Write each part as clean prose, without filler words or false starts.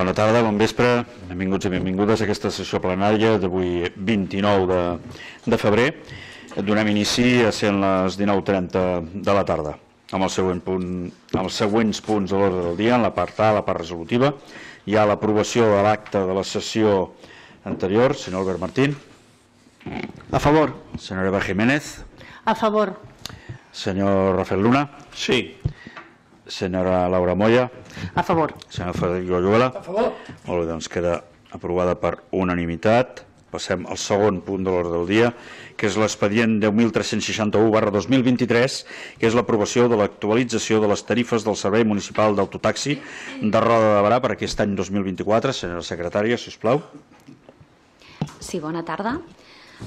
Bona tarda, bon vespre, benvinguts i benvingudes a aquesta sessió plenària d'avui 29 de febrer. Donem inici a ser les 19:30 de la tarda, amb els següents punts de l'ordre del dia. En la part A, la part resolutiva, hi ha l'aprovació de l'acte de la sessió anterior. Senyor Albert Martín. A favor. Senyora Eva Jiménez. A favor. Senyor Rafael Luna. Sí. Senyora Laura Moya. A favor. Senyor Federico Ayuela. A favor. Molt bé, doncs queda aprovada per unanimitat. Passem al segon punt de l'ordre del dia, que és l'expedient 10.361/2023, que és l'aprovació de l'actualització de les tarifes del Servei Municipal d'Autotaxi de Roda de Barà per aquest any 2024. Senyora secretària, si us plau. Sí, bona tarda.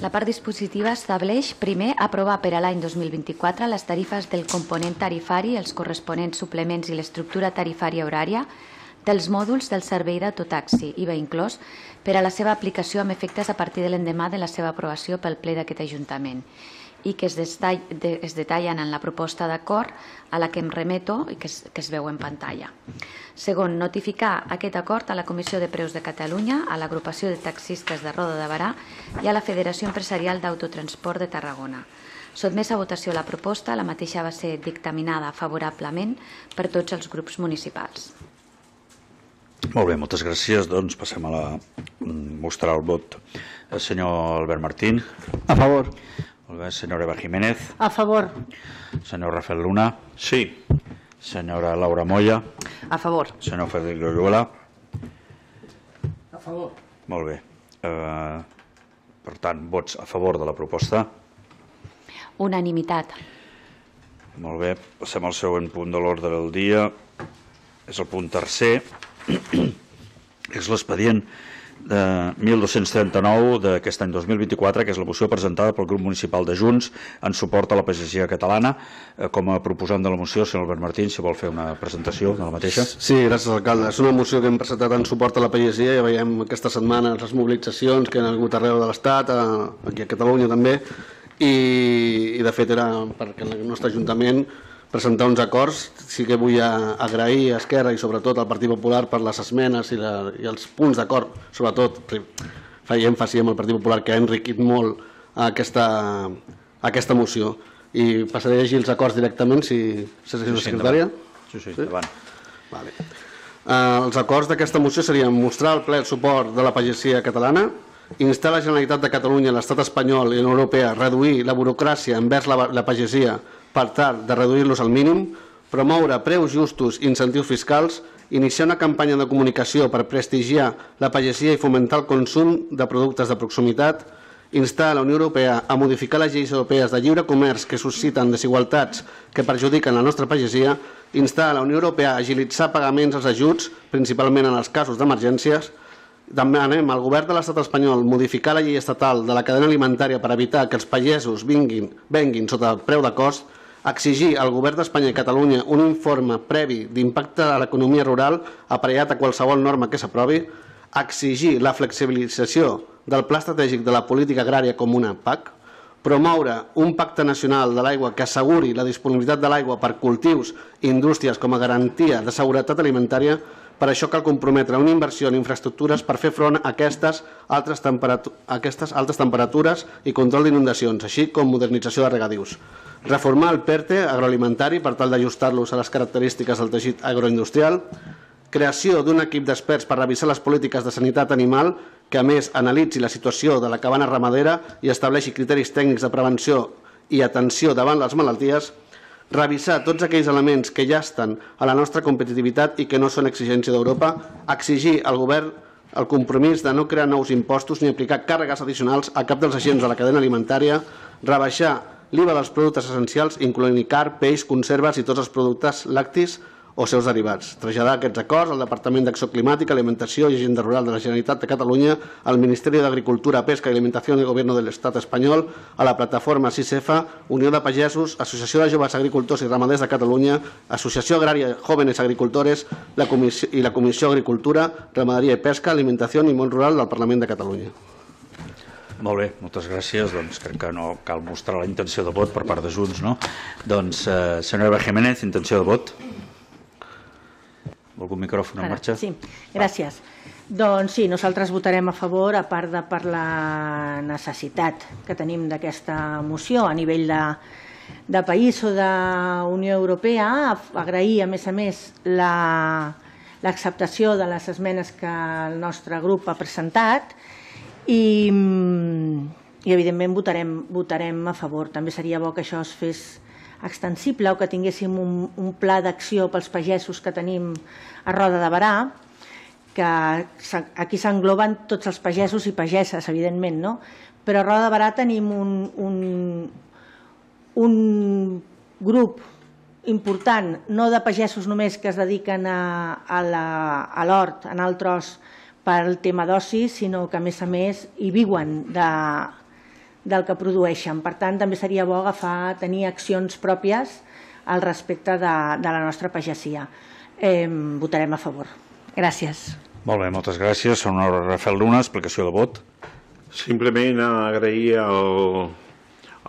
La part dispositiva estableix, primer, aprovar per a l'any 2024 les tarifes del component tarifari, els corresponents suplements i l'estructura tarifària horària dels mòduls del servei d'autotaxi, IVA inclòs, per a la seva aplicació amb efectes a partir de l'endemà de la seva aprovació pel ple d'aquest Ajuntament i que es detallen en la proposta d'acord a la que em remeto i que es veu en pantalla. Segon, notificar aquest acord a la Comissió de Preus de Catalunya, a l'Agrupació de Taxistes de Roda de Barà i a la Federació Empresarial d'Autotransport de Tarragona. Sotmès a votació la proposta, la mateixa va ser dictaminada favorablement per tots els grups municipals. Molt bé, moltes gràcies. Doncs passem a mostrar el vot. Senyor Albert Martín. A favor. Molt bé, senyora Eva Jiménez. A favor. Senyor Rafael Luna. Sí. Senyora Laura Moya. A favor. Senyor Federico Ayuela. A favor. Molt bé. Per tant, vots a favor de la proposta. Unanimitat. Molt bé, passem al següent punt de l'ordre del dia. És el punt tercer. És l'expedient de 1239 d'aquest any 2024, que és la moció presentada pel grup municipal de Junts en suport a la pagesia catalana. Com a proposant de la moció, senyor Albert Martín, si vol fer una presentació de la mateixa. Sí, gràcies, alcalde. És una moció que hem presentat en suport a la pagesia. Ja veiem aquesta setmana les mobilitzacions que han hagut arreu de l'Estat, aquí a Catalunya també, i de fet era perquè el nostre Ajuntament presentar uns acords. Sí que vull agrair a Esquerra i sobretot al Partit Popular per les esmenes i els punts d'acord, sobretot feia èmfasi amb el Partit Popular, que ha enriquit molt aquesta moció. I passaré a llegir els acords directament, si la secretària. Sí, endavant. Vale. Els acords d'aquesta moció serien mostrar al ple el suport de la pagesia catalana, instar la Generalitat de Catalunya, l'Estat espanyol i la Unió Europea a reduir la burocràcia envers la pagesia per tal de reduir-los al mínim, promoure preus justos i incentius fiscals, iniciar una campanya de comunicació per prestigiar la pagesia i fomentar el consum de productes de proximitat, instar a la Unió Europea a modificar les lleis europees de lliure comerç que susciten desigualtats que perjudiquen la nostra pagesia, instar a la Unió Europea a agilitzar pagaments als ajuts, principalment en els casos d'emergències. Demanem al govern de l'Estat espanyol modificar la llei estatal de la cadena alimentària per evitar que els pagesos venguin sota el preu de cost, exigir al govern d'Espanya i Catalunya un informe previ d'impacte a l'economia rural aparellat a qualsevol norma que s'aprovi, exigir la flexibilització del Pla Estratègic de la Política Agrària Comuna PAC, promoure un pacte nacional de l'aigua que asseguri la disponibilitat de l'aigua per cultius i indústries com a garantia de seguretat alimentària. Per això cal comprometre una inversió en infraestructures per fer front a aquestes altes temperatures i control d'inundacions, així com modernització de regadius. Reformar el PERTE agroalimentari per tal d'ajustar-los a les característiques del teixit agroindustrial. Creació d'un equip d'experts per revisar les polítiques de sanitat animal que a més analitzi la situació de la cabana ramadera i estableixi criteris tècnics de prevenció i atenció davant les malalties. Revisar tots aquells elements que ja estan a la nostra competitivitat i que no són exigència d'Europa. Exigir al govern el compromís de no crear nous impostos ni aplicar càrregues addicionals a cap dels agents de la cadena alimentària. Rebaixar l'IVA dels productes essencials, incloent-hi carn, peix, conserves i tots els productes lactis o seus derivats. Traslladar aquests acords al Departament d'Acció Climàtica, Alimentació i Agenda Rural de la Generalitat de Catalunya, al Ministeri d'Agricultura, Pesca i Alimentació del Govern de l'Estat espanyol, a la plataforma 6F, Unió de Pagesos, Associació de Joves Agricultors i Ramaders de Catalunya, Associació Agrària Jóvenes Agricultores i la Comissió Agricultura, Ramaderia i Pesca, Alimentació i Món Rural del Parlament de Catalunya. Molt bé, moltes gràcies. Doncs crec que no cal mostrar la intenció de vot per part de Junts, no? Doncs, senyora Eva Jiménez, intenció de vot. Algun micròfon en marxa? Sí, gràcies. Doncs sí, nosaltres votarem a favor, a part de per la necessitat que tenim d'aquesta moció a nivell de país o de Unió Europea, agrair a més l'acceptació de les esmenes que el nostre grup ha presentat i evidentment votarem a favor. També seria bo que això es fes extensible o que tinguéssim un pla d'acció pels pagesos que tenim a Roda de Berà, que aquí s'engloben tots els pagesos i pageses, evidentment, no? Però a Roda de Berà tenim un grup important, no de pagesos només que es dediquen a l'hort, en el tros pel tema d'oci, sinó que a més hi viuen del que produeixen. Per tant, també seria bo tenir accions pròpies al respecte de la nostra pagesia. Votarem a favor. Gràcies. Molt bé, moltes gràcies. Senyor Rafael Luna, explicació de vot. Simplement agrair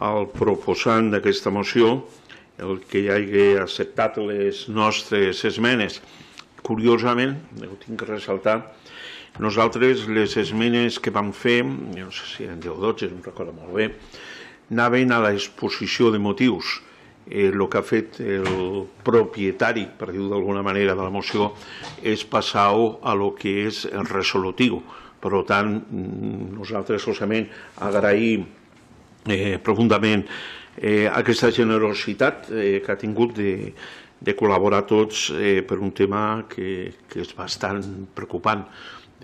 al proposant d'aquesta moció el que hagi acceptat les nostres esmenes. Curiosament, ho tinc que ressaltar, nosaltres les esmenes que vam fer, no sé si eren 10 o 12, no recordo molt bé, anaven a l'exposició de motius. El que ha fet el propietari, per dir-ho d'alguna manera, de la moció és passar-ho a lo que és el resolutiu. Per tant, nosaltres solament agraïm profundament aquesta generositat que ha tingut de col·laborar tots per un tema que és bastant preocupant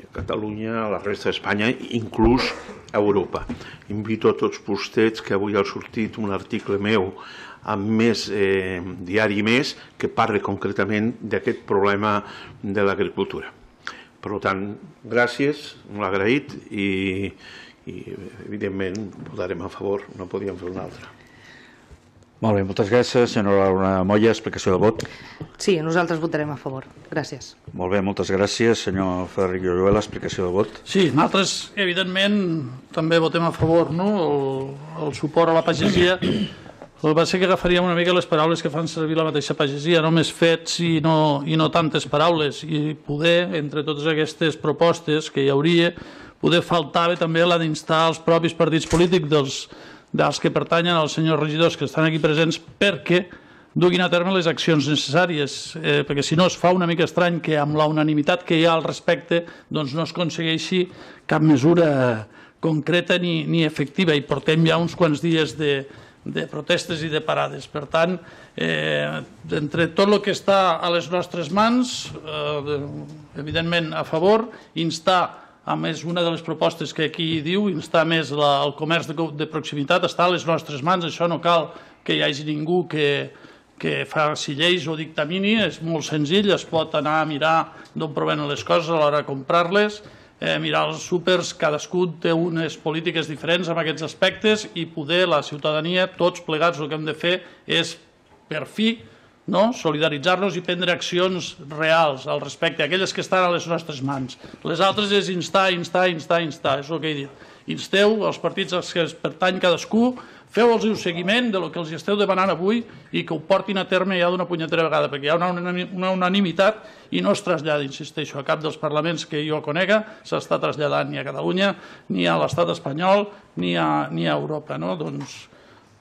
de Catalunya, a la resta d'Espanya, inclús a Europa. Invito a tots vostès que avui ha sortit un article meu amb Més Diari Més que parla concretament d'aquest problema de l'agricultura. Per tant, gràcies, molt agraït i evidentment votarem a favor, no podíem fer una altra. Molt bé, moltes gràcies. Senyora Laura Moya, explicació de vot. Sí, nosaltres votarem a favor. Gràcies. Molt bé, moltes gràcies. Senyor Frederic Lloruela, explicació de vot. Sí, nosaltres, evidentment, també votem a favor, no? El suport a la pagesia. El va ser que agafaríem una mica les paraules que fan servir la mateixa pagesia, no més fets i no tantes paraules, i poder, entre totes aquestes propostes que hi hauria, poder faltava també la d'instar els propis partits polítics dels que pertanyen als senyors regidors que estan aquí presents perquè duguin a terme les accions necessàries, perquè si no es fa una mica estrany que amb la unanimitat que hi ha al respecte doncs no es aconsegueixi cap mesura concreta ni efectiva, i portem ja uns quants dies de protestes i de parades. Per tant, entre tot el que està a les nostres mans, evidentment a favor, instar a més una de les propostes que aquí diu, instar més el comerç de proximitat, està a les nostres mans, això no cal que hi hagi ningú que faci lleis o dictamini, és molt senzill, es pot anar a mirar d'on provenen les coses a l'hora de comprar-les, mirar els súpers, cadascú té unes polítiques diferents en aquests aspectes i poder la ciutadania, tots plegats, el que hem de fer és per fi solidaritzar-nos i prendre accions reals al respecte, aquelles que estan a les nostres mans. Les altres és instar, és el que he dit. Insteu els partits als que es pertany cadascú, feu-los un seguiment del que els esteu demanant avui i que ho portin a terme ja d'una punyetera vegada, perquè hi ha una unanimitat i no es trasllada, insisteixo, a cap dels parlaments que jo conega s'està traslladant ni a Catalunya, ni a l'estat espanyol, ni a Europa. Doncs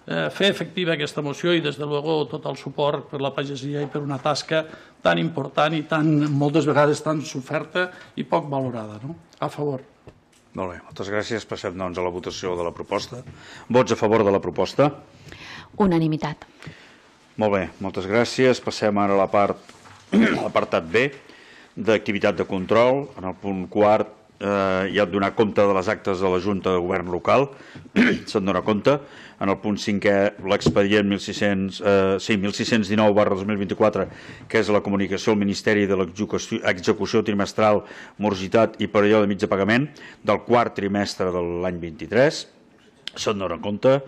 fer efectiva aquesta moció i, des de luego, tot el suport per la pagesia i per una tasca tan important i moltes vegades tan soferta i poc valorada. A favor. Molt bé, moltes gràcies. Passem doncs a la votació de la proposta. Vots a favor de la proposta? Unanimitat. Molt bé, moltes gràcies. Passem ara a l'apartat B d'activitat de control. En el punt quart hi ha de donar compte de les actes de la Junta de Govern local. Se'n dona compte. En el punt 5è, l'expedient 1619/2024, que és la comunicació al Ministeri de l'execució trimestral, morositat i període mig de pagament del quart trimestre de l'any 23. Se'n dona compte.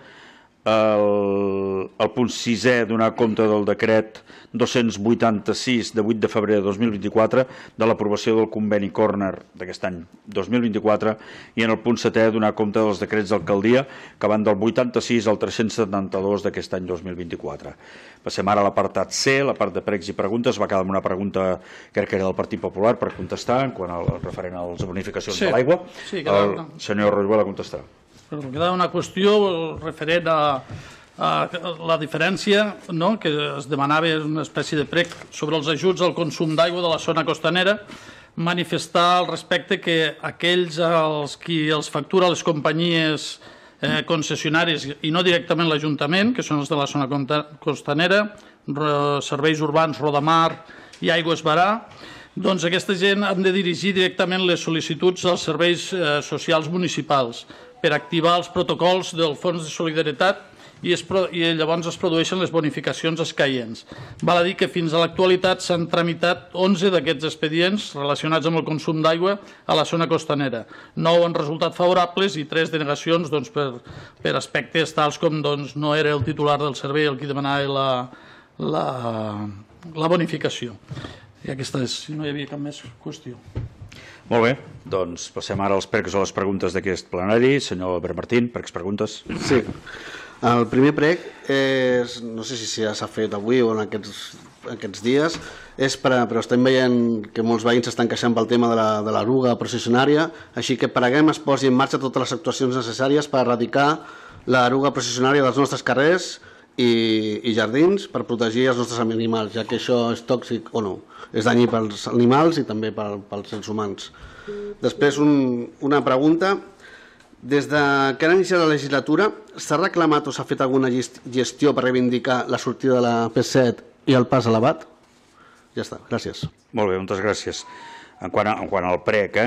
el punt 6è donar compte del decret 286 de 8 de febrer de 2024 de l'aprovació del conveni Corner d'aquest any 2024 i en el punt 7è donar compte dels decrets d'alcaldia que van del 86 al 372 d'aquest any 2024. Passem ara a l'apartat C, la part de pregs i preguntes. Va quedar amb una pregunta, crec que era del Partit Popular, per contestar en quant al referent a les bonificacions de l'aigua. El senyor Roig contestarà. Queda una qüestió referent a la diferència, que es demanava una espècie de prec sobre els ajuts al consum d'aigua de la zona costanera, manifestar al respecte que aquells als qui els factura les companyies concessionàries i no directament l'Ajuntament, que són els de la zona costanera, serveis urbans, Rodamar i Aigües Barà, doncs aquesta gent han de dirigir directament les sol·licituds als serveis socials municipals per activar els protocols del Fons de Solidaritat i llavors es produeixen les bonificacions escaients. Val a dir que fins a l'actualitat s'han tramitat 11 d'aquests expedients relacionats amb el consum d'aigua a la zona costanera. 9 han resultat favorables i 3 denegacions per aspectes tals com no era el titular del servei el qui demanava la bonificació. I aquesta és, si no hi havia cap més qüestió. Molt bé, doncs passem ara als pregs o les preguntes d'aquest plenari. Senyor Albert Martín, pregs, preguntes. Sí. El primer prec és, no sé si ja s'ha fet avui o en aquests dies, però estem veient que molts veïns s'estan queixant pel tema de l'eruga processionària, així que preguem es posi en marxa totes les actuacions necessàries per erradicar l'eruga processionària dels nostres carrers i jardins per protegir els nostres animals, ja que això és tòxic o no, és danyí pels animals i també pels éssers humans. Després una pregunta: des que ha iniciat la legislatura s'ha reclamat o s'ha fet alguna gestió per reivindicar la sortida de la P7 i el pas elevat? Ja està, gràcies. Molt bé, moltes gràcies. En quant al prec,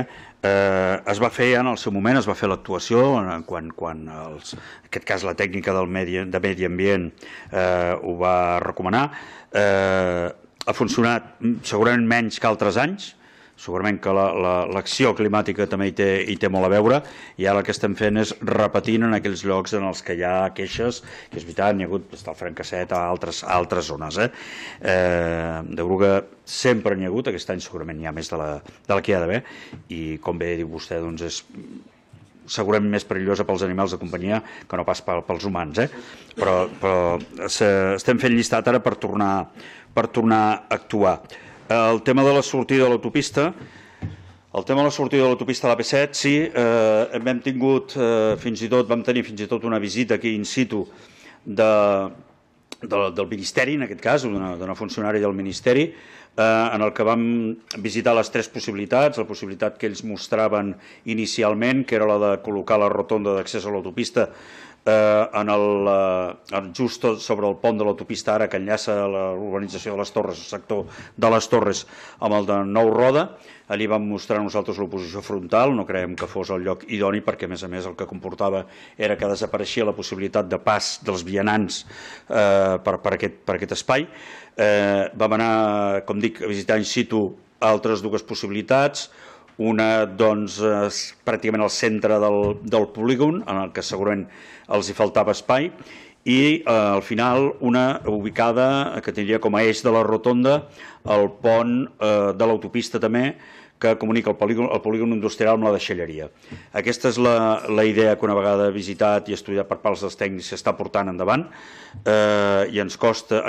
es va fer en el seu moment, es va fer l'actuació quan en aquest cas la tècnica de medi ambient ho va recomanar. Ha funcionat segurament menys que altres anys, segurament que l'acció climàtica també hi té molt a veure, i ara el que estem fent és repetint en aquells llocs en els que hi ha queixes, que és veritat, n'hi ha hagut des del Francasset a altres zones. D'eruga sempre n'hi ha hagut, aquest any segurament n'hi ha més de la que hi ha d'haver, i com bé diu vostè, doncs és segurament més perillosa pels animals de companyia que no pas pels humans, però estem fent llistat ara per tornar a actuar. El tema de la sortida de l'autopista, a la P7, sí, vam tenir fins i tot una visita aquí in situ del Ministeri, en aquest cas, d'una funcionària del Ministeri, en el que vam visitar les 3 possibilitats, la possibilitat que ells mostraven inicialment, que era la de col·locar la rotonda d'accés a l'autopista just sobre el pont de l'autopista ara que enllaça l'urbanització de les Torres, el sector de les Torres, amb el de Nou Roda. Allí vam mostrar nosaltres l'oposició frontal, no creiem que fos el lloc idoni perquè a més el que comportava era que desapareixia la possibilitat de pas dels vianants per aquest espai. Vam anar, com dic, a visitar in situ altres 2 possibilitats, una doncs pràcticament al centre del polígon, en el que segurament els hi faltava espai, i al final una ubicada que tindria com a eix de la rotonda el pont de l'autopista també, que comunica el polígon industrial amb la deixalleria. Aquesta és la idea que una vegada visitat i estudiat per parts dels tècnics s'està portant endavant, i ens consta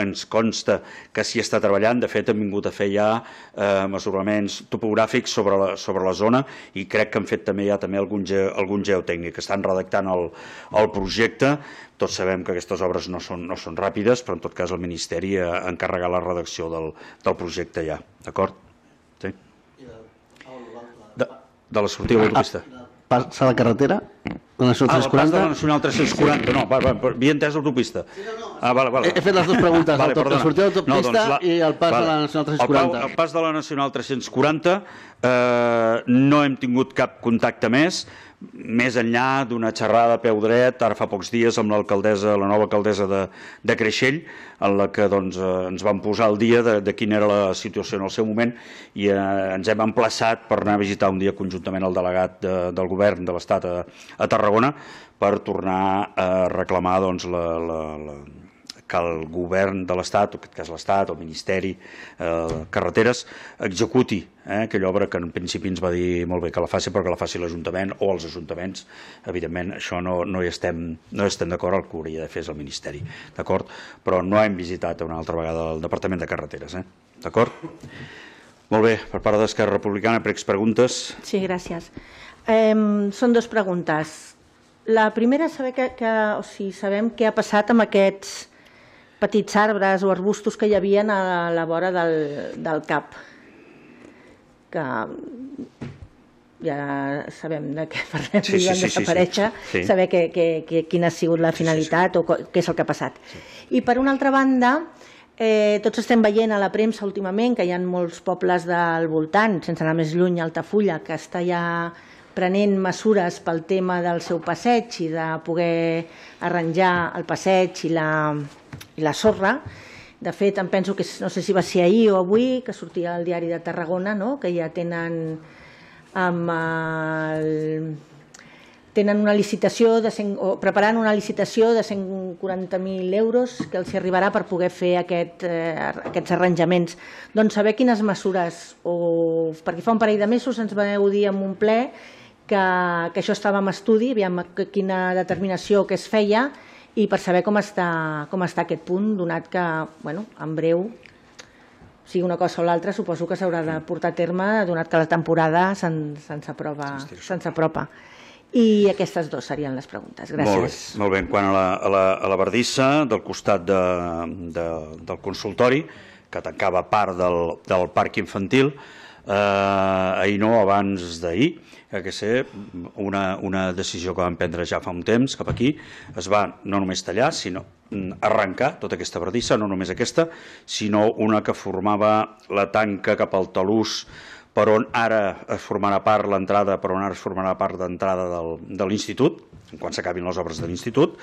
que s'hi està treballant. De fet, hem vingut a fer ja mesuraments topogràfics sobre la zona i crec que han fet també algun geotècnic. Estan redactant el projecte. Tots sabem que aquestes obres no són ràpides, però en tot cas el Ministeri ha encarregat la redacció del projecte ja. D'acord? Sí? De la sortida de l'autopista. Passa la carretera? La Nacional 340? El pas de la Nacional 340, no, havia entès l'autopista. He fet les 2 preguntes, la sortida de l'autopista i el pas de la Nacional 340. El pas de la Nacional 340 no hem tingut cap contacte més enllà d'una xerrada a peu dret ara fa pocs dies amb la nova alcaldessa de Creixell, en la que ens vam posar al dia de quina era la situació en el seu moment, i ens hem emplaçat per anar a visitar un dia conjuntament el delegat del govern de l'Estat a Tarragona per tornar a reclamar que el govern de l'Estat, o en aquest cas l'Estat, el Ministeri Carreteres, executi aquella obra que en principi ens va dir molt bé que la faci, però que la faci l'Ajuntament o els ajuntaments. Evidentment, això no hi estem d'acord, el que hauria de fer és el Ministeri, d'acord? Però no hem visitat una altra vegada el Departament de Carreteres, d'acord? Molt bé, per part d'Esquerra Republicana, preguntes? Sí, gràcies. Són dues preguntes. La primera és saber sabem què ha passat amb aquests petits arbres o arbustos que hi havia a la vora del CAP, que ja sabem de què parlem, van desaparèixer, saber quina ha sigut la finalitat o què és el que ha passat. I per una altra banda, tots estem veient a la premsa últimament que hi ha molts pobles del voltant, sense anar més lluny, Altafulla, que està ja prenent mesures pel tema del seu passeig i de poder arranjar el passeig i la sorra. De fet, em penso que no sé si va ser ahir o avui, que sortia al diari de Tarragona, que ja tenen una licitació, preparant una licitació de 140.000 euros que els arribarà per poder fer aquests arranjaments. Doncs saber quines mesures, perquè fa un parell de mesos ens vau dir en un ple que això estava en estudi, aviam quina determinació que es feia i per saber com està aquest punt, donat que en breu, sigui una cosa o l'altra, suposo que s'haurà de portar a terme, donat que la temporada se'ns apropa. I aquestes dues serien les preguntes. Gràcies. Molt bé. Quant a la bardissa, del costat del consultori, que tancava part del parc infantil, ahir no, abans d'ahir, que ser una decisió que vam prendre ja fa un temps, cap aquí, es va no només tallar, sinó arrencar tota aquesta bardissa, no només aquesta, sinó una que formava la tanca cap al talús, per on ara es formarà part l'entrada, per on ara es formarà part d'entrada de l'Institut, quan s'acabin les obres de l'Institut,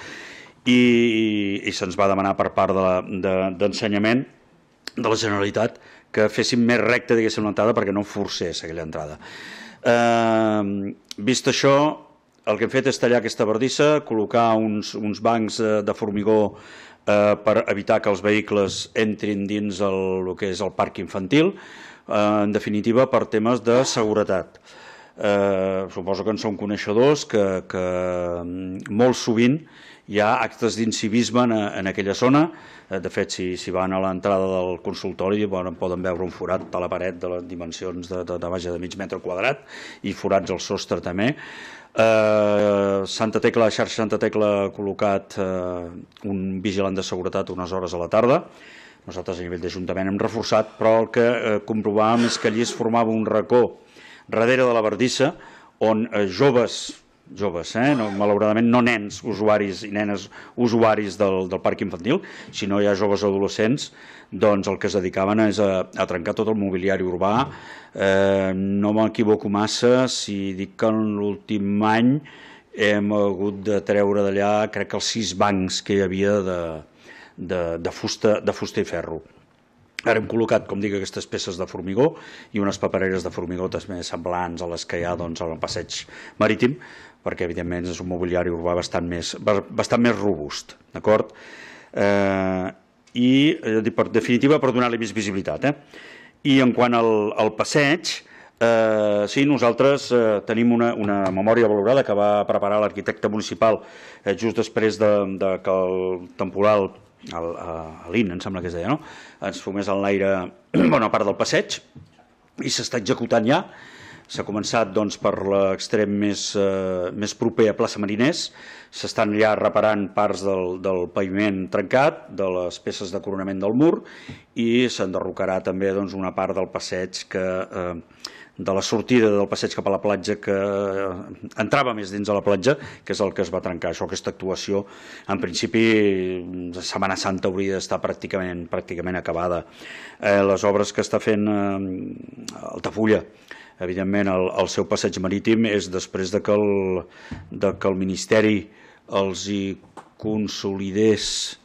i se'ns va demanar per part d'Ensenyament de la Generalitat que féssim més recta, diguéssim, l'entrada perquè no forcés aquella entrada. Vist això, el que hem fet és tallar aquesta bardissa, col·locar uns bancs de formigó per evitar que els vehicles entrin dins el que és el parc infantil, en definitiva per temes de seguretat. Suposo que en són coneixedors que molt sovint hi ha actes d'incivisme en aquella zona. De fet, si van a l'entrada del consultori poden veure un forat a la paret de les dimensions de mig metre quadrat i forats al sostre també. La xarxa Santa Tecla ha col·locat un vigilant de seguretat unes hores a la tarda. Nosaltres a nivell d'Ajuntament hem reforçat, però el que comprovàvem és que allí es formava un racó darrere de la bardissa on joves, malauradament no nens usuaris i nenes usuaris del parc infantil, sinó ja joves adolescents, doncs el que es dedicaven és a trencar tot el mobiliari urbà. No m'equivoco massa si dic que en l'últim any hem hagut de treure d'allà, crec que els 6 bancs que hi havia de fusta i ferro. Ara hem col·locat, com dic, aquestes peces de formigó i unes papereres de formigó també semblants a les que hi ha al passeig marítim, perquè evidentment és un mobiliari urbà bastant més robust, d'acord? I, per definitiva, per donar-li més visibilitat. I en quant al passeig, sí, nosaltres tenim una memòria valorada que va preparar l'arquitecte municipal just després que el temporal, l'IN, em sembla que es deia, ens fumés en l'aire bona part del passeig, i s'està executant ja. S'ha començat per l'extrem més proper a plaça Mariners, s'estan ja reparant parts del paviment trencat, de les peces de coronament del mur, i s'enderrocarà també una part del passeig de la sortida del passeig cap a la platja, que entrava més dins de la platja, que és el que es va trencar. Aquesta actuació, en principi, la Setmana Santa hauria d'estar pràcticament acabada. Les obres que està fent Altafulla, evidentment, el seu passeig marítim és després que el Ministeri els hi consolidés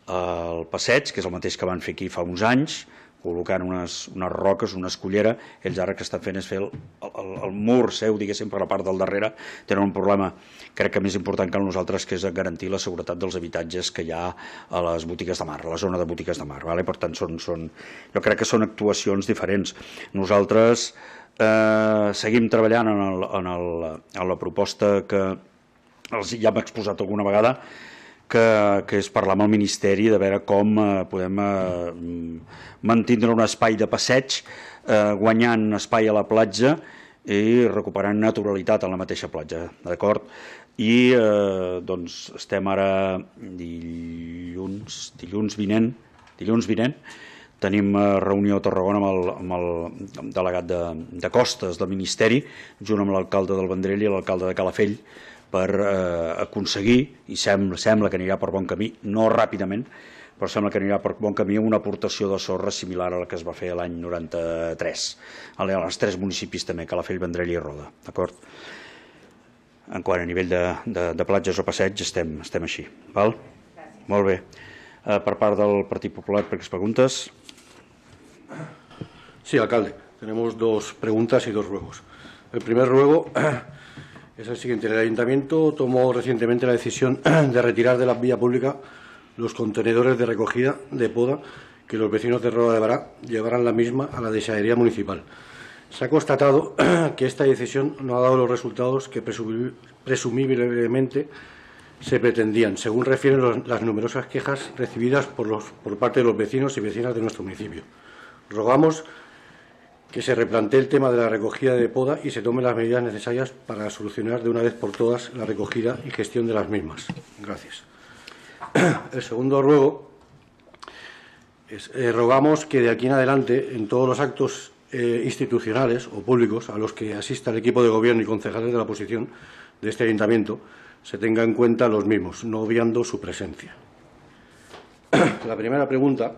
el passeig, que és el mateix que van fer aquí fa uns anys, col·locant unes roques, una escullera. Ells ara que estan fent és fer el mur seu, diguéssim, per la part del darrere. Tenen un problema, crec que més important que nosaltres, que és garantir la seguretat dels habitatges que hi ha a les botigues de mar, a la zona de botigues de mar. Per tant, jo crec que són actuacions diferents. Nosaltres seguim treballant en la proposta que ja hem exposat alguna vegada, que és parlar amb el Ministeri de veure com podem mantindre un espai de passeig, guanyant espai a la platja i recuperant naturalitat a la mateixa platja, d'acord? I doncs estem ara dilluns vinent, tenim reunió a Tarragona amb el delegat de Costes del Ministeri, junt amb l'alcalde del Vendrell i l'alcalde de Calafell, per aconseguir, i sembla que anirà per bon camí, no ràpidament, però sembla que anirà per bon camí una aportació de sorra similar a la que es va fer l'any 93, als 3 municipis també, Calafell, Vendrell i Roda, d'acord? En quant a nivell de platges o passeig estem així, val? Molt bé. Per part del Partit Popular, per aquestes preguntes. Sí, alcalde. Tenemos 2 preguntas y 2 ruegos. El primer ruego es el siguiente. El Ayuntamiento tomó recientemente la decisión de retirar de la vía pública los contenedores de recogida de poda que los vecinos de Roda de Bará llevaran la misma a la desanería municipal. Se ha constatado que esta decisión no ha dado los resultados que presumiblemente se pretendían, según refieren las numerosas quejas recibidas por parte de los vecinos y vecinas de nuestro municipio. Rogamos que se replantee el tema de la recogida de poda y se tomen las medidas necesarias para solucionar de una vez por todas la recogida y gestión de las mismas. Gracias. El segundo ruego es, rogamos que de aquí en adelante, en todos los actos institucionales o públicos a los que asista el equipo de gobierno y concejales de la oposición de este ayuntamiento, se tenga en cuenta los mismos, no obviando su presencia. La primera pregunta.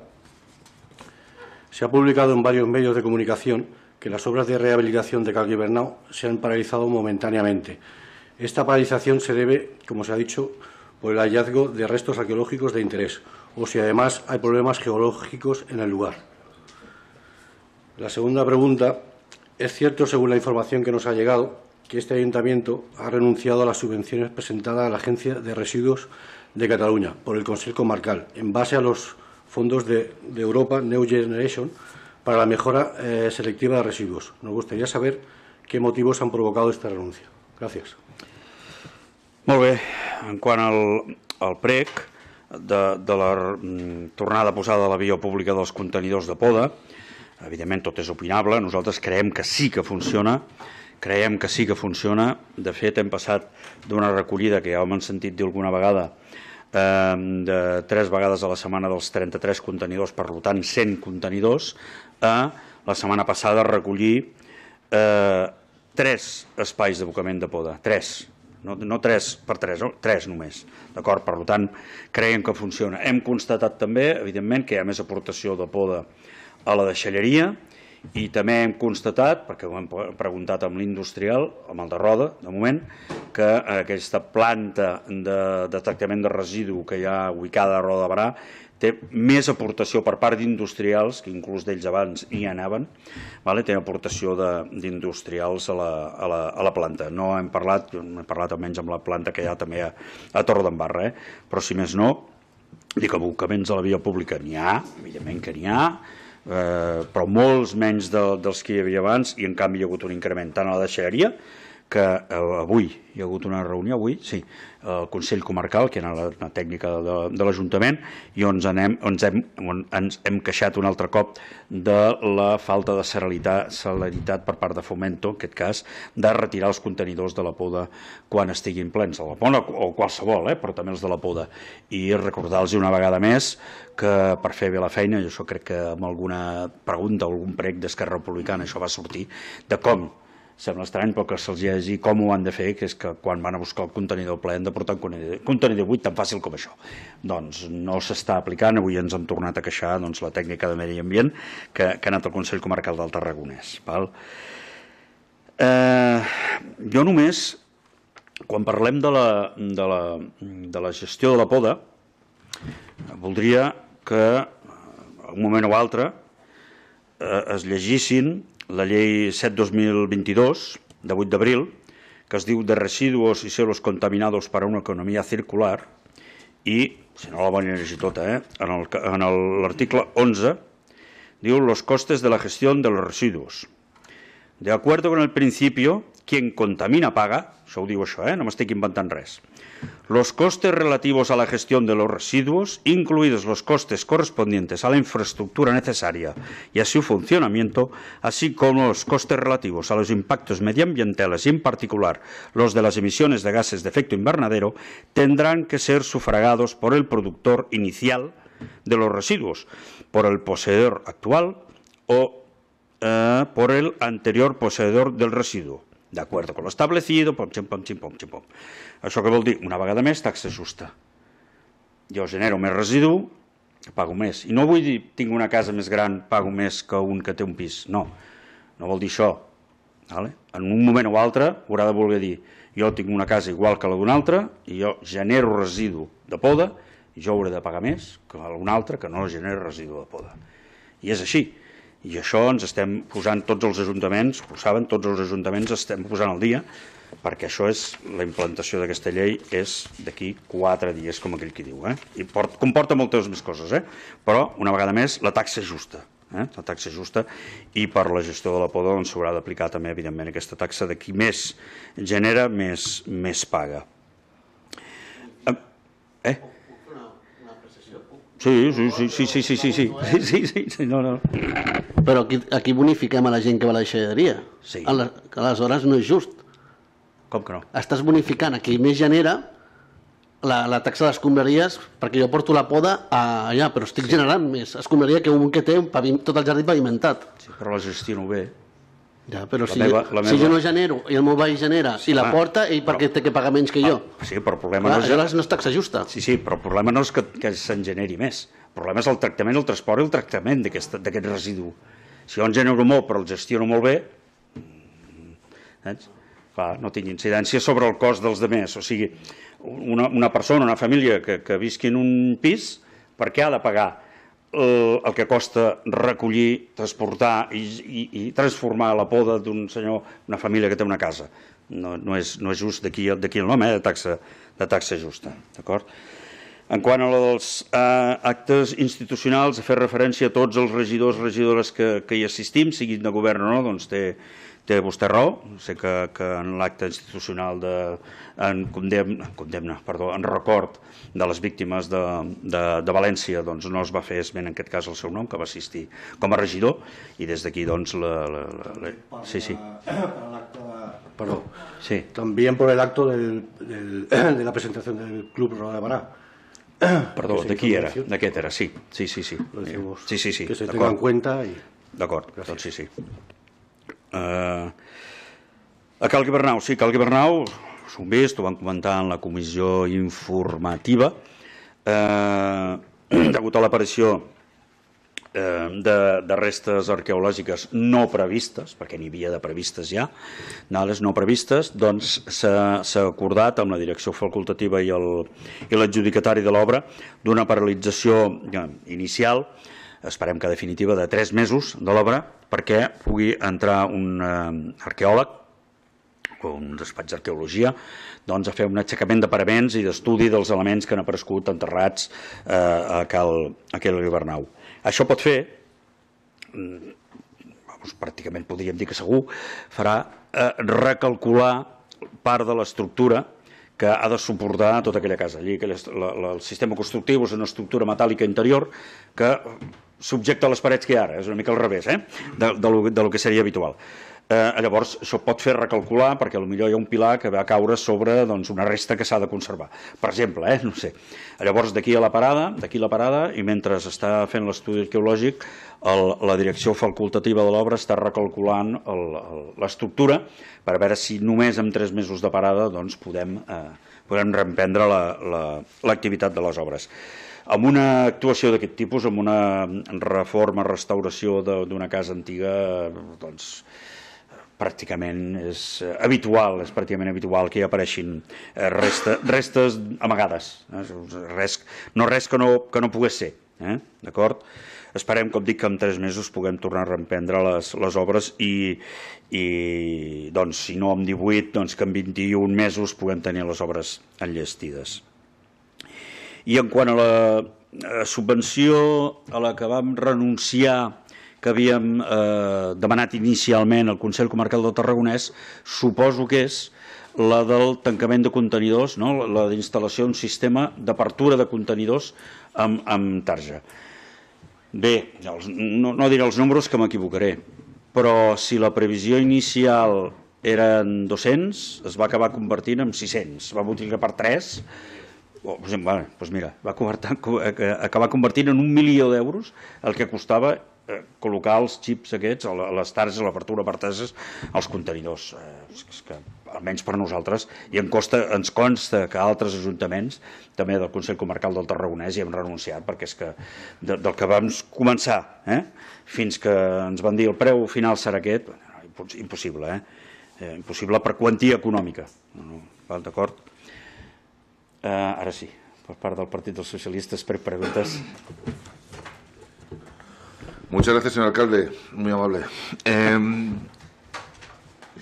Se ha publicado en varios medios de comunicación que las obras de rehabilitación de Calguibernau se han paralizado momentáneamente. Esta paralización se debe, como se ha dicho, por el hallazgo de restos arqueológicos de interés o si además hay problemas geológicos en el lugar. La segunda pregunta. Es cierto, según la información que nos ha llegado, que este ayuntamiento ha renunciado a las subvenciones presentadas a la Agencia de Residuos de Cataluña por el Consell Comarcal, en base a los fondos de Europa New Generation para la mejora selectiva de residuos. Nos gustaría saber qué motivos han provocado esta renuncia. Gràcies. Molt bé. En quant al PREC, de la tornada posada a la via pública dels contenidors de poda, evidentment tot és opinable, nosaltres creiem que sí que funciona, De fet, hem passat d'una recollida que ja hem sentit dir alguna vegada de 3 vegades a la setmana dels 33 contenidors, per tant 100 contenidors, a la setmana passada recollir 3 espais d'abocament de poda, 3, no 3 per 3, no? 3 només, d'acord? Per tant, creiem que funciona. Hem constatat també, evidentment, que hi ha més aportació de poda a la deixalleria i també hem constatat, perquè ho hem preguntat amb l'industrial, amb el de Roda, de moment, que aquesta planta de tractament de residu que hi ha ubicada a Roda de Barà té més aportació per part d'industrials, que inclús d'ells abans hi anaven, té aportació d'industrials a la planta. No hem parlat almenys amb la planta que hi ha també a Torredembarra, però si més no, dic, abocaments a la via pública n'hi ha, evidentment que n'hi ha, però molts menys dels que hi havia abans, i en canvi hi ha hagut un increment tant a la deixalleria, que avui hi ha hagut una reunió, al Consell Comarcal, que era la tècnica de l'Ajuntament, i on ens hem queixat un altre cop de la falta de celeritat per part de Fomento, en aquest cas, de retirar els contenidors de la poda quan estiguin plens, de la poda o qualsevol, però també els de la poda. I recordar-los una vegada més que per fer bé la feina, i això crec que amb alguna pregunta o algun prec d'Esquerra Republicana això va sortir, de com sembla estrany, però que se'ls ha de dir com ho han de fer, que és que quan van a buscar el contenidor ple han de portar un contenidor buit tan fàcil com això. Doncs no s'està aplicant, avui ens hem tornat a queixar la tècnica de medi ambient que ha anat al Consell Comarcal del Tarragonès. Jo només, quan parlem de la gestió de la poda, voldria que, un moment o altre, es llegissin la llei 7-2022, de 8 d'abril, que es diu de residuos y suelos contaminados para una economía circular, i, si no la voy a llegir tota, en l'article 11, diu los costes de la gestión de los residuos. De acuerdo con el principio, quien contamina paga, això ho diu això, no m'estic inventant res. Los costes relativos a la gestión de los residuos, incluidos los costes correspondientes a la infraestructura necesaria y a su funcionamiento, así como los costes relativos a los impactos medioambientales y en particular los de las emisiones de gases de efecto invernadero, tendrán que ser sufragados por el productor inicial de los residuos, por el poseedor actual o por el anterior poseedor del residuo. De acuerdo con lo establecido, pom, xim, pom, xim, pom, xim, pom. Això què vol dir? Una vegada més, taxa justa. Jo genero més residu, pago més. I no vull dir, tinc una casa més gran, pago més que un que té un pis. No, no vol dir això. En un moment o altre haurà de voler dir, jo tinc una casa igual que la d'un altre i jo genero residu de poda i jo hauré de pagar més que un altre que no genera residu de poda. I és així. I això ens estem posant tots els ajuntaments, ho saben, tots els ajuntaments estem posant al dia, perquè això és, la implantació d'aquesta llei és d'aquí 4 dies, com aquell qui diu. I comporta moltes més coses, però, una vegada més, la taxa justa. La taxa justa, i per la gestió de la poda s'haurà d'aplicar també, evidentment, aquesta taxa de qui més genera, més paga. Sí, no. Però aquí bonifiquem a la gent que va a la deixalleria. Sí. Aleshores no és just. Com que no? Estàs bonificant a qui més genera la taxa d'escombraries, perquè jo porto la poda allà, però estic generant més escombraria que un que té tot el jardí pavimentat. Sí, però la gestiono bé. Ja, però si jo no genero i el meu veí genera i la porta, ell per què té que pagar menys que jo? Sí, però el problema no és... Aleshores no és taxa justa. Sí, però el problema no és que se'n generi més. El problema és el tractament, el transport i el tractament d'aquest residu. Si jo en genero molt però el gestiono molt bé, no tinc incidència sobre el cost dels altres. O sigui, una persona, una família que visqui en un pis, per què ha de pagar el que costa recollir, transportar i transformar la poda d'un senyor, una família que té una casa? No és just d'aquí el nom, de taxa justa. D'acord? En quant a dels actes institucionals, a fer referència a tots els regidors i regidores que hi assistim, siguin de govern o no, doncs té vostè raó. Sé que en l'acte institucional en record de les víctimes de València no es va fer esment en aquest cas el seu nom, que va assistir com a regidor, i des d'aquí doncs sí. Perdón. Sí. También por el acto de la presentación del Club Roda de Bará. Perdó, d'aquest era, sí. Sí. Que se tenga en cuenta. D'acord, doncs sí. A Cal Guibernau, sí, Cal Guibernau, s'ho hem vist, ho vam comentar en la comissió informativa, degut a l'aparició de restes arqueològiques no previstes, perquè n'hi havia de previstes ja, les no previstes, doncs s'ha acordat amb la direcció facultativa i l'adjudicatari de l'obra d'una paralització inicial, esperem que definitiva, de 3 mesos de l'obra, perquè pugui entrar un arqueòleg o un despatx d'arqueologia a fer un aixecament de paraments i d'estudi dels elements que han aparegut enterrats a Cal Guibernau. Això pot fer, pràcticament podríem dir que segur, farà recalcular part de l'estructura que ha de suportar tota aquella casa. Allí el sistema constructiu és una estructura metàl·lica interior que subjecta les parets que hi ha ara, és una mica al revés del que seria habitual. Llavors, això pot fer recalcular, perquè potser hi ha un pilar que va caure sobre una resta que s'ha de conservar. Per exemple, no sé. Llavors, d'aquí la parada, i mentre està fent l'estudi arqueològic, la direcció facultativa de l'obra està recalculant l'estructura per veure si només amb 3 mesos de parada podem reemprendre l'activitat de les obres. Amb una actuació d'aquest tipus, amb una reforma, restauració d'una casa antiga, doncs pràcticament és habitual que hi apareixin restes amagades. No res que no pogués ser. d'acord? Esperem, com dic, que en 3 mesos puguem tornar a reemprendre les obres i doncs, si no en 18, doncs que en 21 mesos puguem tenir les obres enllestides. I en quant a la subvenció a la que vam renunciar, que havíem demanat inicialment al Consell Comarcal del Tarragonès, suposo que és la del tancament de contenidors, la d'instal·lació d'un sistema d'apertura de contenidors amb tarja. Bé, no diré els números que m'equivocaré, però si la previsió inicial eren 200, es va acabar convertint en 600, va multiplicar per 3, doncs mira, va acabar convertint en 1 milió d'euros el que costava col·locar els xips aquests, les targes, l'apertura per targes, als contenidors. És que, almenys per nosaltres, i ens consta que altres ajuntaments, també del Consell Comarcal del Tarragonès, hi hem renunciat, perquè és que del que vam començar fins que ens van dir el preu final serà aquest, impossible, impossible per quantia econòmica. D'acord? Ara sí, per part del Partit dels Socialistes, per preguntes. Muchas gracias, señor alcalde, muy amable.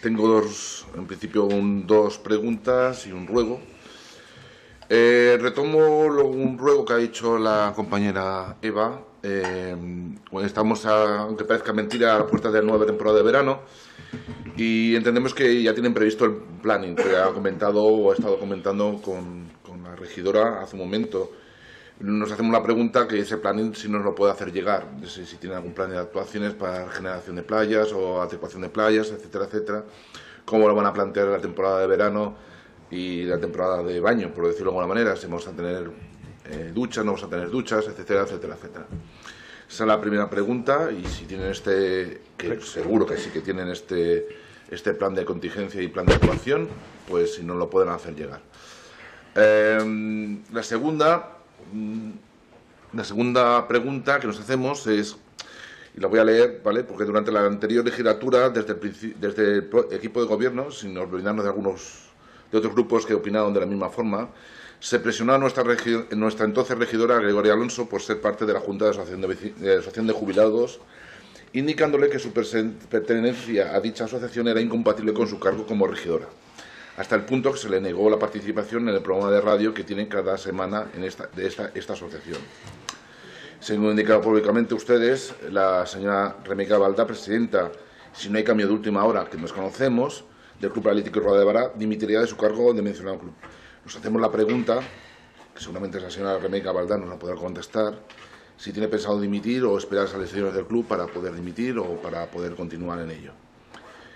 Tengo en principio dos preguntas y un ruego. Retomo un ruego que ha dicho la compañera Eva. Estamos, aunque parezca mentira, a puertas de la nueva temporada de verano y entendemos que ya tienen previsto el planning que ha comentado o ha estado comentando con la regidora hace un momento. Nos hacemos la pregunta que ese planning si nos lo puede hacer llegar, si tiene algún plan de actuaciones para regeneración de playas o adecuación de playas, etcétera, etcétera. Cómo lo van a plantear la temporada de verano y la temporada de baño, por decirlo de alguna manera, si vamos a tener duchas, no vamos a tener duchas, etcétera, etcétera, etcétera. Esa es la primera pregunta y si tienen que seguro que sí que tienen este plan de contingencia y plan de actuación, pues si nos lo pueden hacer llegar. La segunda pregunta que nos hacemos es, y la voy a leer, ¿vale? Porque durante la anterior legislatura, desde el equipo de gobierno, sin olvidarnos de otros grupos que opinaron de la misma forma, se presionó a nuestra entonces regidora Gregoria Alonso por ser parte de la Junta de Asociación de Jubilados, indicándole que su pertenencia a dicha asociación era incompatible con su cargo como regidora, hasta el punto que se le negó la participación en el programa de radio que tienen cada semana de esta asociación. Según han indicado públicamente ustedes, la señora Remeika Balda, presidenta, si no hay cambio de última hora que nos conocemos, del Club Paralítico Roda de Bará, dimitiría de su cargo de mencionado club. Nos hacemos la pregunta, que seguramente la señora Remeika Balda nos la podrá contestar, si tiene pensado dimitir o esperar a las elecciones del club para poder dimitir o para poder continuar en ello.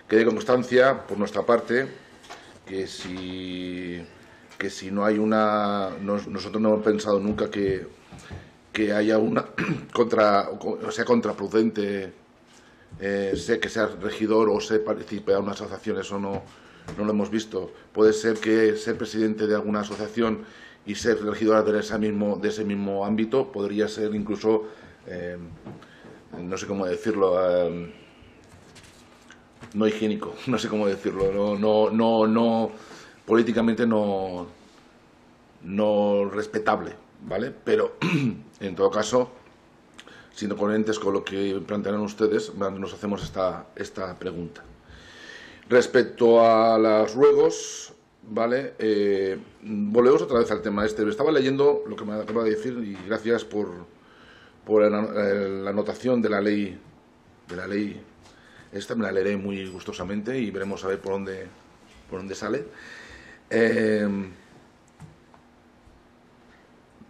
Quede constancia, por nuestra parte, que si no hay nosotros no hemos pensado nunca que haya una sea contraproducente que sea regidor o se participe a una asociación, eso no lo hemos visto. Puede ser que ser presidente de alguna asociación y ser regidora de ese mismo ámbito podría ser incluso, no sé cómo decirlo, no higiénico, no sé cómo decirlo, no políticamente no respetable, ¿vale? Pero en todo caso, siendo coherentes con lo que plantearán ustedes, nos hacemos esta pregunta. Respecto a los ruegos, ¿vale? Volvemos otra vez al tema este. Estaba leyendo lo que me acaba de decir y gracias por la anotación de la ley. Esta me la leeré muy gustosamente y veremos a ver por dónde sale.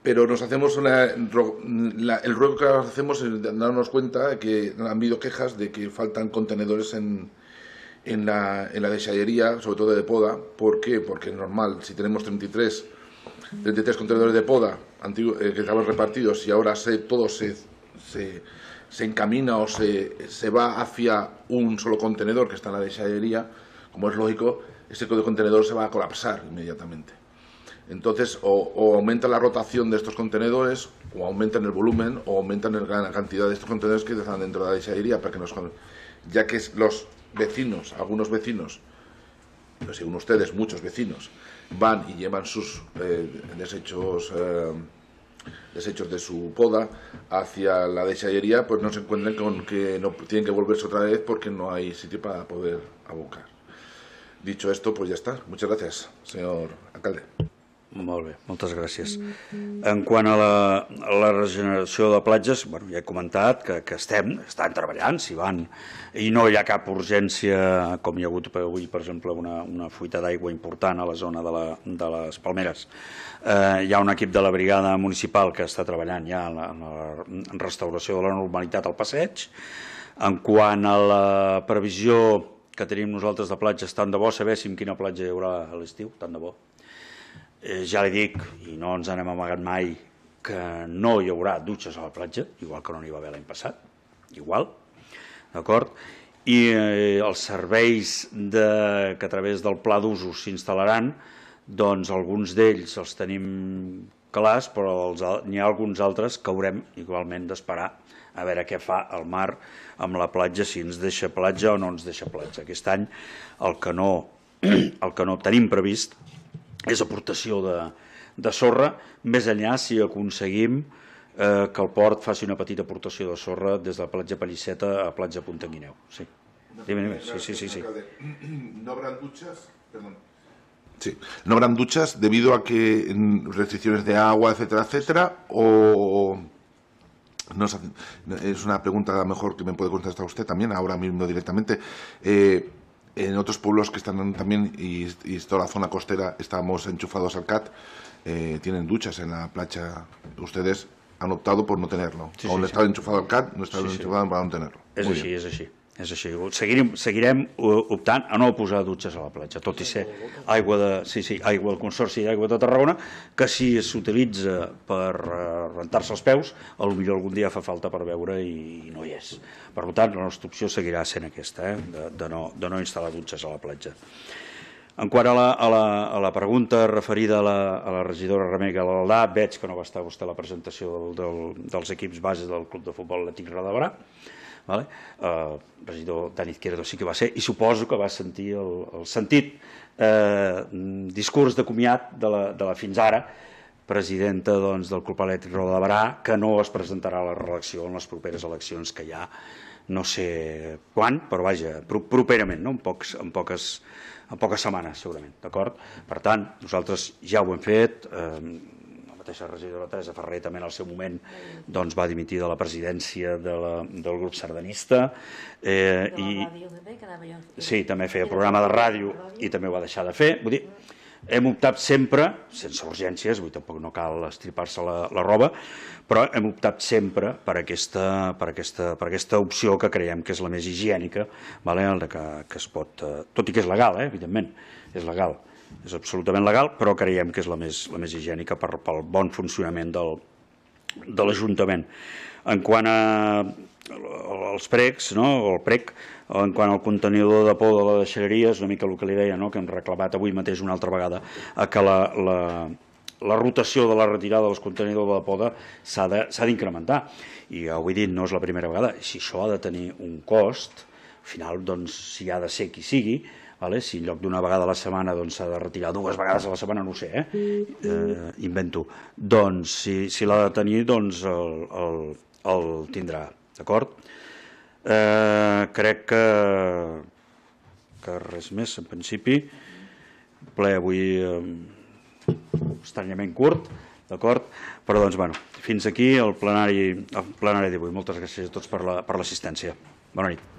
Pero nos hacemos el ruego que hacemos es darnos cuenta de que han habido quejas de que faltan contenedores en la deixallería, sobre todo de poda. ¿Por qué? Porque es normal, si tenemos 33 contenedores de poda que estaban repartidos y ahora todo se encamina o se va hacia un solo contenedor que está en la deixallería, como es lógico, ese contenedor se va a colapsar inmediatamente. Entonces, o aumenta la rotación de estos contenedores, o aumentan el volumen, o aumentan la cantidad de estos contenedores que están dentro de la deixallería, ya que los vecinos, algunos vecinos, según ustedes, muchos vecinos, van y llevan sus desechos desechos de su poda hacia la desallería, pues no se encuentren con que no tienen que volverse otra vez porque no hay sitio para poder abocar. Dicho esto, pues ya està. Muchas gracias, señor alcalde. Molt bé, moltes gràcies. En quant a la regeneració de platges, bueno, ja he comentat que estan treballant, s'hi van, i no hi ha cap urgència, com hi ha hagut avui, per exemple, una fuita d'aigua important a la zona de les Palmeres. Hi ha un equip de la brigada municipal que està treballant ja en la restauració de la normalitat al passeig. En quant a la previsió que tenim nosaltres de platges, tant de bo sabéssim quina platja hi haurà a l'estiu, tant de bo. Ja li dic, i no ens n'hem amagat mai, que no hi haurà dutxes a la platja, igual que no n'hi va haver l'any passat, igual, d'acord? I els serveis que a través del pla d'usos s'instal·laran, doncs alguns d'ells els tenim clars, però n'hi ha alguns altres que haurem igualment d'esperar a veure què fa el mar amb la platja, si ens deixa platja o no ens deixa platja. Aquest any el que no tenim previst és aportació de sorra, més enllà si aconseguim que el port faci una petita aportació de sorra des de la platja Pallisseta a platja Puntanguineu. Sí. Sí. ¿No habrán duchas? Perdón. Sí, ¿no habrán duchas debido a que restricciones de agua, etcétera, etcétera? ¿O no es una pregunta a lo mejor que me puede contestar usted también, ahora mismo directamente? En otros pueblos que están también, y toda la zona costera, estamos enchufados al CAT, tienen duchas en la playa. Ustedes han optado por no tenerlo. Aún estaba enchufado al CAT, no estaba enchufado para no tenerlo. És així. Seguirem optant a no posar dutxes a la platja, tot i ser aigua del Consorci d'Aigua de Tarragona, que si s'utilitza per rentar-se els peus, potser algun dia fa falta per beure i no hi és. Per tant, la nostra opció seguirà sent aquesta, de no instal·lar dutxes a la platja. En quant a la pregunta referida a la regidora Remei Galaldà, veig que no va estar vostè a la presentació dels equips bases del Club de Futbol Atlètic Roda. El regidor Dani Izquierdo sí que va ser, i suposo que va sentir el sentit discurs de comiat de la fins ara presidenta del Club Atlètic Roda de Barà, que no es presentarà a la reelecció en les properes eleccions que hi ha, no sé quan, però vaja, properament, en poques setmanes segurament, d'acord? Per tant, nosaltres ja ho hem fet. La mateixa regidora Teresa Ferrer també en el seu moment va dimitir de la presidència del grup sardanista. Sí, també feia programa de ràdio i també ho va deixar de fer. Vull dir, hem optat sempre, sense urgències, tampoc no cal estripar-se la roba, però hem optat sempre per aquesta opció que creiem que és la més higiènica, que es pot, tot i que és legal, evidentment, és legal. És absolutament legal, però creiem que és la més higiènica pel bon funcionament de l'Ajuntament. En quant als precs, o el prec, en quant al contenidor de por de la deixalleria, és una mica el que li deia, que hem reclamat avui mateix una altra vegada, que la rotació de la retirada dels contenidors de poda s'ha d'incrementar. I ja ho he dit, no és la primera vegada. Si això ha de tenir un cost, al final, si ha de ser qui sigui, si en lloc d'una vegada a la setmana s'ha de retirar 2 vegades a la setmana, no ho sé, invento, doncs si l'ha de tenir, el tindrà, d'acord? Crec que res més, en principi. Ple avui estranyament curt, d'acord? Però fins aquí el plenari d'avui. Moltes gràcies a tots per l'assistència. Bona nit.